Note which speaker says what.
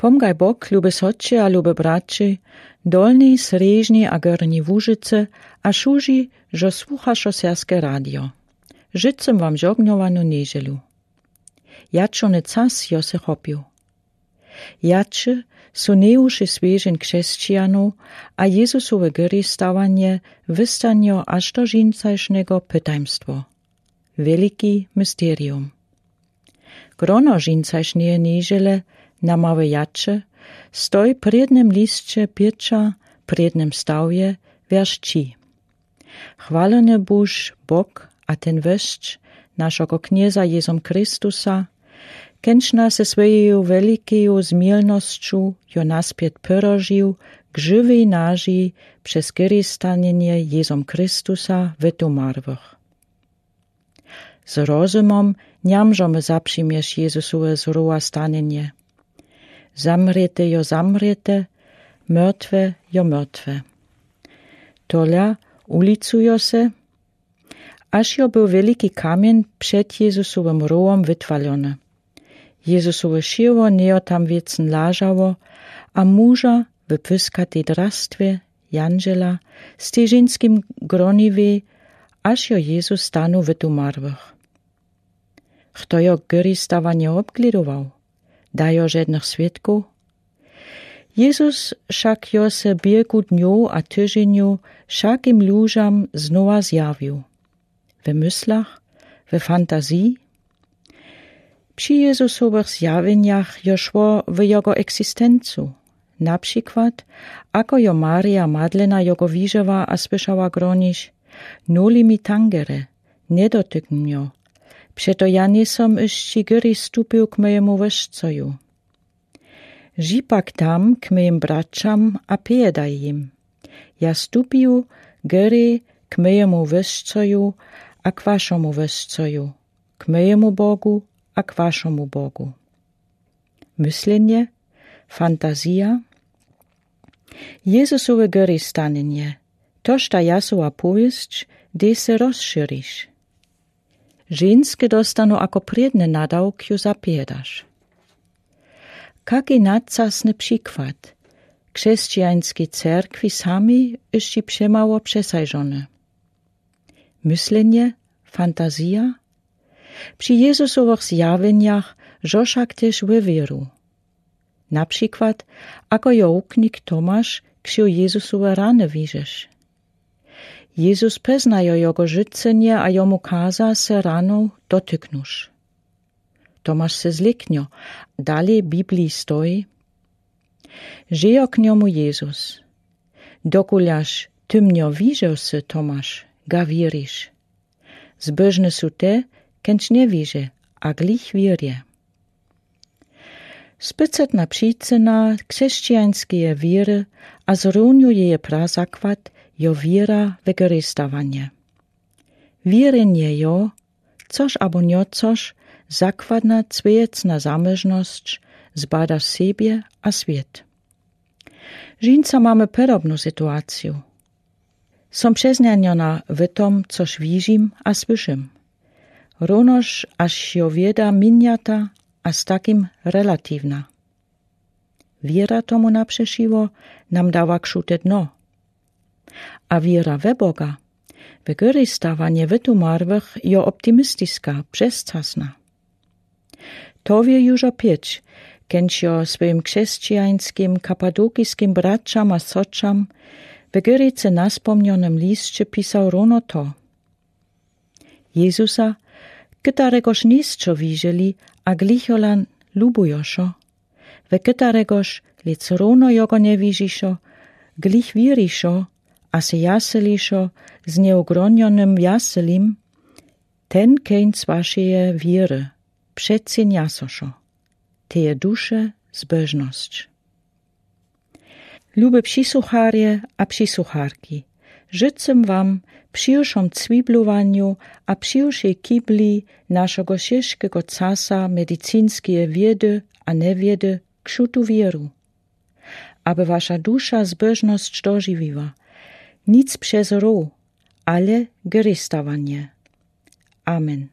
Speaker 1: Pomgaj Bog, ljube soče a ljube braći, dolni, srežni a gorni Łużyce, a šuži, že sluchašo Serske radio. Žicem vam žognjovanu neželu. Jačo ne cas jo se hopiu. Jače su neuši svežen křesćijanu, a Jezusove gry stavanje vystanjo až do žincajšnego pytajmstvo. Veliki mysterium. Grono žincajšneje nežele, na małe jače, stoj prednem listče piecza, prednem stavje, wierszci. Chwalony buž Bog, a ten weszcz, naszego knieza Jezom Chrystusa, kęczna se swojeju velikeju zmielnošću jo naspět pyrožił k żywej naži przez który stanienie Jezom Chrystusa wytumarwych. Z rozumom niamżomy zapřiměš Jezusove zroa stanienie. Zamrete jo zamrete, mrtwe jo mrtwe. Tolia ulicujo se, aż jo był veliki kamień przed Jezusowym rołom wytwalony. Jezusowe širvo nejo tam wiecen lažało, a muža w pyskatej drastwie, Janžela, z tej ženskim groniwej, aż jo Jezus stanu wytumarwych. Kto jo gyri stawanie obglidował? Dajo żadnych świadków? Jezus však jo se bieku dniu a tyženiu všakim lužam znova zjawił. W myślach, w fantazji. Przy Jezusowych zjawieniach jo szło w jego egzystencu. Na przykład, ako jo Maria Madlena jego widziała a słyszała gronić, noli mi tangere, nie dotykn mio, przeto ja nie som jeszcze gyri stupił k mojemu wyżcoju. Žipak tam k mojim braćam a piedaj im. Ja stupił gyri k mojemu wyżcoju a k vašomu wyżcoju, k mojemu Bogu a k vašomu Bogu. Myślenie, fantazja. Jezusowe gyri stanienie, toż ta Jasova powieść, gdy se rozširiš. Ženske dostanu ako predne nadawkju zapiedaš. Kaki nadsasny przykład. Chrześcijańskiej cerkwi sami jeszcze przemało przesajżone. Myślenie, fantazja. Przy Jezusowych zjawieniach żoszak też wywieru. Na przykład, ako jo uknik Tomasz, ksiu Jezusowe rany widzisz. Jezus poznajo jego życenie, a jomu kaza se raną dotyknusz. Tomasz se zliknio, dalej Biblii stoi. Żyjo k njomu Jezus. Dokuljaš tymnio widział se Tomasz, ga wiriš. Zbožne su te, kenč nie wiże, a glich wierje. Spycetna przyczyna chrześcijańskiej wiery, a zruniuje je prazakład, jo wiera w wykorzystanie. Wierenje jo, coż abo niocoż, zakładna cwiecna zamężność, zbadasz siebie a świat. Żinca mamy podobną sytuację. Som przeznaniona w tom, coż widzim a słyszym. Runoż aż jo wieda miniata, a z takim relatywna. Wiera tomu naprzeszyło nam dała krzute dno. A wiera we Boga, wykorzystywanie wytumarwych jo optymistyska, przezczasna. To wie już opieć, kęć jo swoim chrześcijańskim, kapadokijskim braćam a soczam w Gyrice naspomnionym liście pisał runo to. Jezusa, któregoż nisczo widzieli, a glicholan lubujoszo, w któregoż lic runo jogo nie widziszo, glich wiriszo, a se jaseliszo z nieugronionym jaselim, ten kęć waszej wiery, przeceniasoszo, teje dusze zbożność. Lube przysłucharje a przysłucharki, życzę wam przyjuszom cwiblowaniu a przyjuszej kibli naszego ciężkiego casa medycyńskie wiedy a niewiedy kšutu wieru, aby wasza dusza zbożność dożywiła, nic przez ro, ale gerystawanie. Amen.